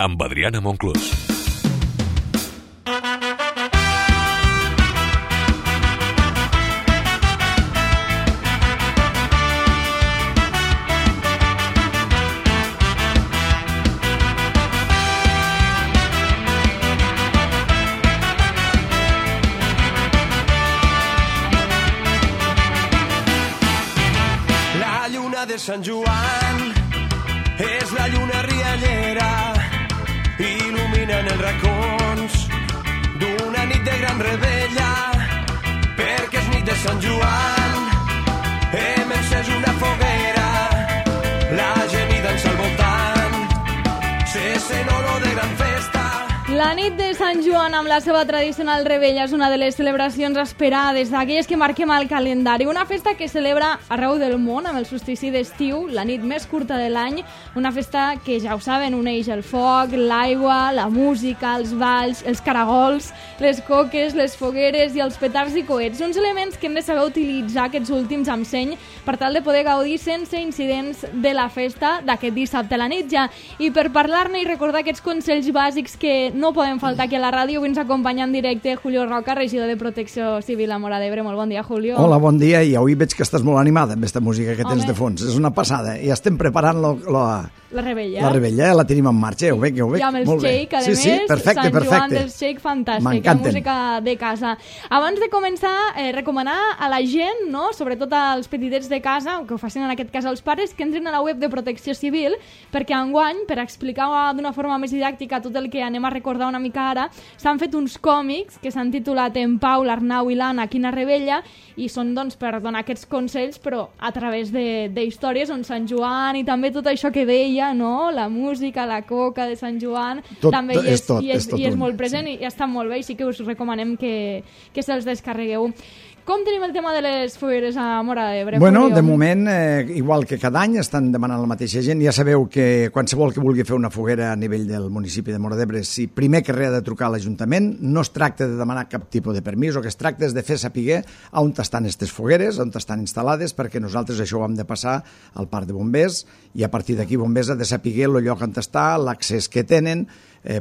amb Adriana Monclús. De Sant Joan és la lluna riallera, il·luminen els racons d'una nit de gran revetlla, perquè és nit de Sant Joan, hem encès una foguera, la gent hi dansa al voltant, se sent olor de gran festa. La nit de Sant Joan, amb la seva tradicional revetlla, és una de les celebracions esperades, d'aquelles que marquem al calendari. Una festa que celebra arreu del món amb el solstici d'estiu, la nit més curta de l'any. Una festa que, ja ho saben, uneix el foc, l'aigua, la música, els balls, els caragols, les coques, les fogueres i els petards i coets. Uns elements que hem de saber utilitzar aquests últims amb seny per tal de poder gaudir sense incidents de la festa d'aquest dissabte a la nit ja. I per parlar-ne i recordar aquests consells bàsics que no podem faltar aquí a la ràdio, avui ens acompanya en directe Julio Roca, regidor de Protecció Civil a Móra d'Ebre. Molt bon dia, Julio. Hola, bon dia, i avui veig que estàs molt animada amb aquesta música que tens de fons. És una passada, i estem preparant la revetlla. La revetlla, la tenim en marxa, ja ho veig. I amb el shake, a més, perfecte, Sant Joan del shake, fantàstic, la música de casa. Abans de començar, recomanar a la gent, no? Sobretot als petitets de casa, que ho facin en aquest cas als pares, que entrin a la web de Protecció Civil, perquè enguany, per explicar d'una forma més didàctica tot el que anem a recordar una mica ara, s'han fet uns còmics que s'han titulat En Pau, l'Arnau i l'Anna, quina rebella, i són doncs per donar aquests consells, però a través d'històries on Sant Joan i també tot això que deia, no? La música, la coca de Sant Joan, també hi és molt present, i està molt bé, i sí que us recomanem que se'ls descarregueu. Com tenim el tema de les fogueres a Móra d'Ebre? Bueno, de moment, igual que cada any, estan demanant la mateixa gent. Ja sabeu que qualsevol que vulgui fer una foguera a nivell del municipi de Móra d'Ebre, si primer que res ha de trucar a l'Ajuntament, no es tracta de demanar cap tipus de permís, el que es tracta és de fer saber on estan aquestes fogueres, on estan instal·lades, perquè nosaltres això ho hem de passar al parc de bombers, i a partir d'aquí bombers ha de saber el lloc on està, l'accés que tenen,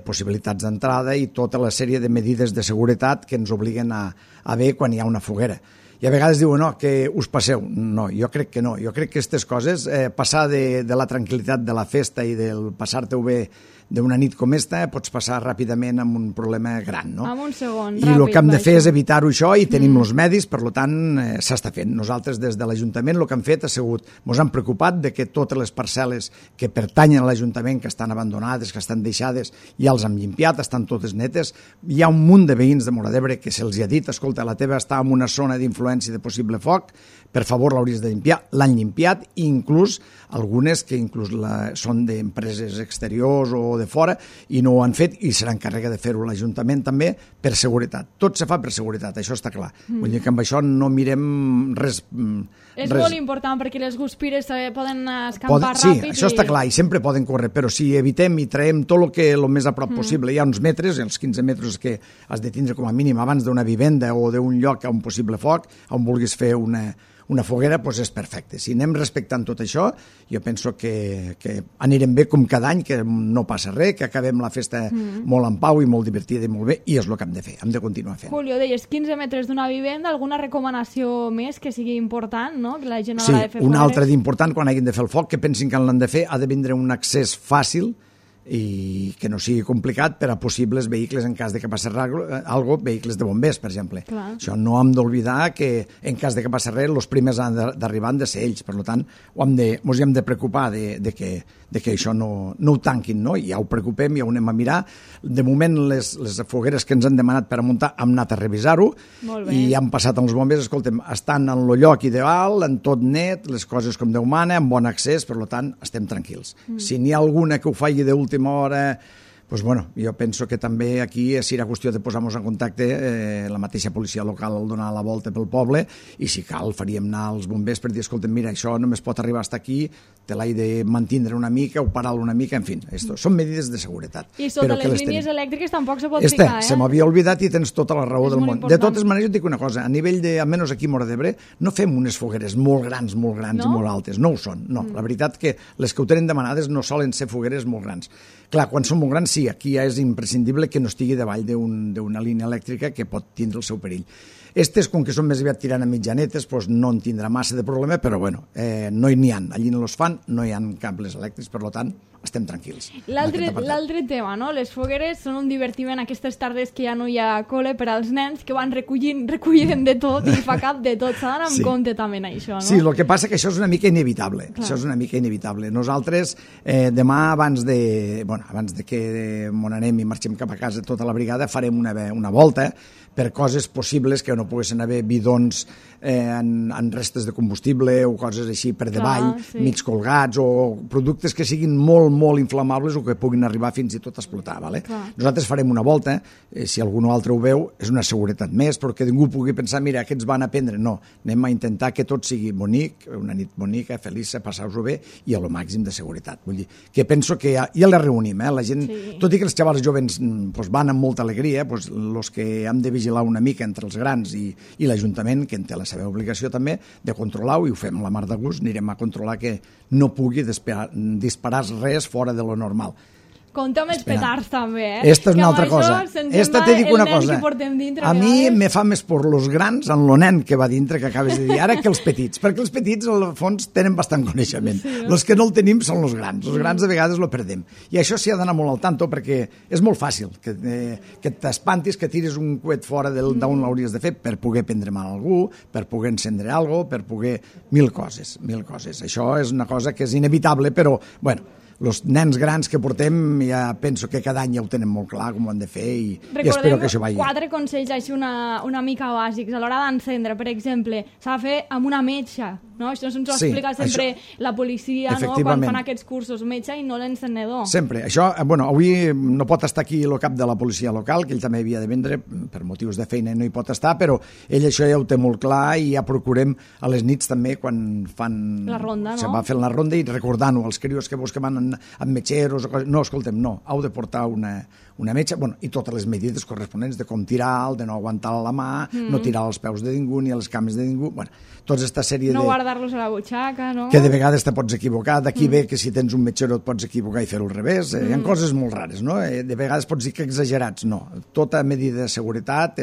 possibilitats d'entrada i tota la sèrie de medides de seguretat que ens obliguen a haver quan hi ha una foguera. I a vegades diuen, no, que us passeu. No, jo crec que no. Jo crec que aquestes coses, passar de la tranquil·litat de la festa i del passar-te-ho bé d'una nit com esta, pots passar ràpidament amb un problema gran, no? En un segon, ràpid. I el que hem de fer és evitar-ho això, i tenim els medis, per tant, s'està fent. Nosaltres, des de l'Ajuntament, el que hem fet ha sigut, ens hem preocupat de que totes les parcel·les que pertanyen a l'Ajuntament, que estan abandonades, que estan deixades, ja els hem llimpiat, estan totes netes. Hi ha un munt de veïns de Móra d'Ebre que se'ls ha dit, escolta, la teva està en una zona d'influència de possible foc, per favor l'hauries de limpiar. L'han limpiat, i inclús algunes que són d'empreses exteriors o de fora, i no ho han fet, i serà encàrrega de fer-ho l'Ajuntament també, per seguretat. Tot se fa per seguretat, això està clar. Vull dir que amb això no mirem res. És molt important, perquè les guspires poden escampar ràpid. Sí, això està clar, i sempre poden córrer, però si evitem i traiem tot el més a prop possible, hi ha uns metres, els 15 metres que has de tindre com a mínim abans d'una vivenda o d'un lloc a un possible foc, on vulguis fer una foguera, doncs és perfecte. Si anem respectant tot això, jo penso que anirem bé com cada any, que no passa res, que acabem la festa molt en pau i molt divertida i molt bé, i és el que hem de fer, hem de continuar fent. Julio, deies 15 metres d'una vivenda, alguna recomanació més que sigui important, no? Que la gent haurà de fer una altra d'important, quan hagin de fer el foc, que pensin que l'han de fer, ha de vindre un accés fàcil i que no sigui complicat per a possibles vehicles en cas de que passi alguna cosa, vehicles de bombers, per exemple. Clar. Això no hem d'oblidar que en cas de que passi res, els primers han d'arribar han de ser ells, per tant, ens hem de preocupar de que això no ho tanquin, no? Ja ho preocupem, ja ho anem a mirar. De moment, les fogueres que ens han demanat per a muntar, hem anat a revisar-ho, i han passat amb els bombers, escoltem, estan en el lloc ideal, en tot net, les coses com Déu mana, amb bon accés, per tant, estem tranquils. Si n'hi ha alguna que ho faci d'última hora, doncs bueno, jo penso que també aquí serà qüestió de posar-nos en contacte, la mateixa policia local al donar la volta pel poble, i si cal faríem anar als bombers per dir, escolta, mira, això només pot arribar fins aquí, te l'he de mantindre una mica o parar-lo una mica, en fi, són medides de seguretat. I sota les línies elèctriques tampoc se pot ficar, se m'havia oblidat i tens tota la raó del món. De totes maneres, jo et dic una cosa, a nivell de, almenys aquí a Móra d'Ebre, no fem unes fogueres molt grans i molt altes, no ho són, no. La veritat que les que ho tenen demanades no solen ser fogueres molt grans. Clar, quan són molt grans, sí, aquí ja és imprescindible que no estigui davall d'una línia elèctrica que pot tindre el seu perill. Estes, com que són més aviat tirant a mitjanetes, doncs no en tindrà massa de problema, però bueno, no n'hi ha. Allí no els fan, no hi ha cables elèctrics, per tant, estem tranquils. L'altre tema, no? Les fogueres són un divertiment aquestes tardes que ja no hi ha col·le per als nens, que van recullen de tot i fa cap de tot. S'ha d'anar amb compte també en això, no? Sí, el que passa que això és una mica inevitable. Clar. Això és una mica inevitable. Nosaltres, demà, abans de que mon anem i marxem cap a casa tota la brigada, farem una volta per coses possibles que no poguessin haver bidons en restes de combustible o coses així per davall, mig colgats, o productes que siguin molt, molt inflamables o que puguin arribar fins i tot a explotar. Vale? Nosaltres farem una volta, si algú altre ho veu, és una seguretat més, però que ningú pugui pensar, mira, aquests van a prendre. No, anem a intentar que tot sigui bonic, una nit bonica, feliça, passar-vos-ho bé i a lo màxim de seguretat. Vull dir, que penso que ja la reunim, la gent, tot i que els xavals joves van amb molta alegria, els que hem de vigilar una mica entre els grans i l'Ajuntament, que en té la seva obligació també de controlar-ho, i ho fem la mar de gust, anirem a controlar que no pugui disparar res fora de lo normal. Compte amb els petards també, Esta és una altra cosa. Esta te dic una cosa. A mi me fa més por los grans en lo nen que va dintre, que acabes de dir ara, que els petits, perquè els petits al fons tenen bastant coneixement. Els que no el tenim són els grans. Els grans de vegades lo perdem. I això s'hi ha d'anar molt al tanto, perquè és molt fàcil que t'espantis, que tiris un coet fora d'on l'hauries de fer per poder prendre mal a algú, per poder encendre alguna cosa, per poder mil coses. Això és una cosa que és inevitable, però, bueno, els nens grans que portem ja penso que cada any ja ho tenen molt clar com ho han de fer i espero que això vagi. Recordem 4 consells així una mica bàsics. A l'hora d'encendre, per exemple, s'ha de fer amb una metxa, no? Això ens ho explica sempre la policia, no? Quan fan aquests cursos, metxa i no l'encenedor. Sempre. Això, avui no pot estar aquí el cap de la policia local, que ell també havia de vendre, per motius de feina no hi pot estar, però ell això ja ho té molt clar i ja procurem a les nits també quan fan la ronda, no? Se va fent la ronda i recordant-ho als crios que van amb metgeros o coses. No, escoltem, no, heu de portar una metxa, i totes les medides corresponents de com tirar, de no aguantar la mà, no tirar als peus de ningú ni a les cames de ningú, tota aquesta sèrie no guardar-los a la butxaca, no? Que de vegades te pots equivocar, d'aquí ve que si tens un metgero et pots equivocar i fer-ho al revés, hi ha coses molt rares, no? De vegades pots dir que exagerats, no. Tota medida de seguretat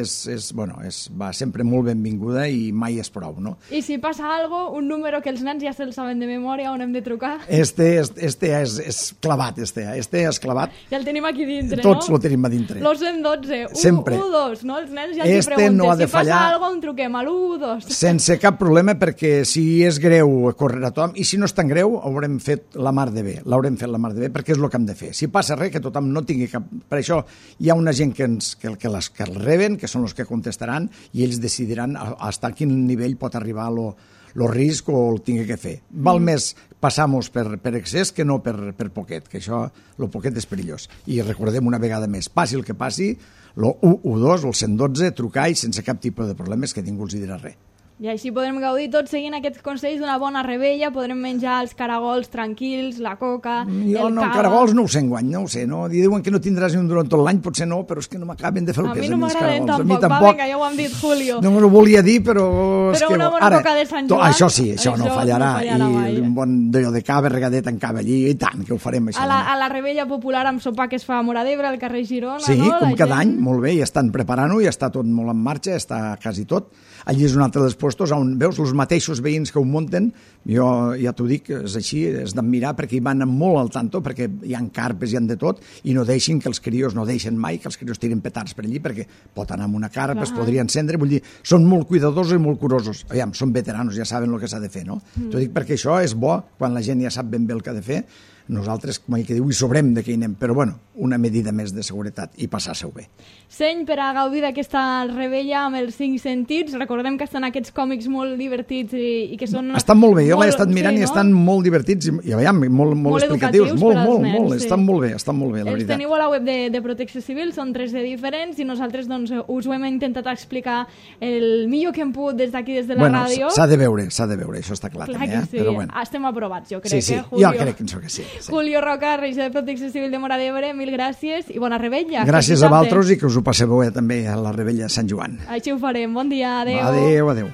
va sempre molt benvinguda i mai és prou, no? I si passa alguna cosa, un número que els nens ja se'l saben de memòria on hem de trucar? Este és clavat, este és clavat. Ja el tenim aquí dintre, Tots lo tenim a dintre. Los 112, sempre. 112, no? Els nens ja els pregunten, no ha de si fallar, passa alguna cosa, on truquem, a l'112. Sense cap problema, perquè si és greu, correrà tothom, i si no és tan greu, haurem fet la mar de bé, perquè és el que hem de fer. Si passa res, que tothom no tingui cap... Per això hi ha una gent que el reben, que són els que contestaran, i ells decidiran fins a quin nivell pot arribar el risc o el tingui que fer. Val més passar-nos per excés que no per poquet, que això, el poquet és perillós. I recordem una vegada més, passi el que passi, el 112, el 112, trucar i sense cap tipus de problemes que ningú els dirà res. I així podrem gaudir tots seguint aquests consells d'una bona rebella, podrem menjar els caragols tranquils, la coca, caragols no ho sé enguany, no ho sé, no? Diuen que no tindràs ni un durant tot l'any, potser no, però és que no m'acaben de fer el pes. A mi no m'agraden tampoc, va, vinga, ja ho hem dit, Julio. No m'ho volia dir, però... Però una bona coca de Sant Joan... Això sí, això no fallarà, i un bon d'allò de cava, regadet en cava allí, i tant, que ho farem, això. A la rebella popular amb sopar que es fa a Móra d'Ebre, al carrer Girona, sí, no? Sí, com cada any, molt bé, i estan preparant-ho, i està tot molt en marxa, està quasi tot. Allí és un altre dels puestos on veus els mateixos veïns que ho munten, jo ja t'ho dic, és així, és d'admirar perquè hi van molt al tanto, perquè hi ha carpes, hi ha de tot, i no deixin que els crios, no deixen mai que els crios tirin petards per allí, perquè pot anar amb una carpa, es podria encendre, vull dir, són molt cuidadosos i molt curosos. Aviam, són veteranos, ja saben el que s'ha de fer, no? T'ho dic perquè això és bo, quan la gent ja sap ben bé el que ha de fer, nosaltres, com que diu, hi sobrem de què hi anem, però bueno, una medida més de seguretat i passar-se-ho bé. Seny, per a gaudir d'aquesta rebella amb els 5 sentits, recordem que estan aquests còmics molt divertits i que són... Estan molt bé, jo l'he estat mirant i estan molt divertits i veiem, molt explicatius, molt, estan molt bé, la veritat. Els teniu a la web de Protecció Civil, són 3 de diferents i nosaltres doncs us ho hem intentat explicar el millor que hem pogut des d'aquí, des de la ràdio. S'ha de veure, això està clar també, però bueno. Estem aprovats, jo crec, Julio? Jo crec que sí. Julio Roca, regidor de Protecció Civil de Móra d'Ebre, mil gràcies i bona rebella. Gràcies a vosaltres i que us ho passeu bé també a la rebella de Sant Joan. Així ho farem. Bon dia, adeu. Adeu.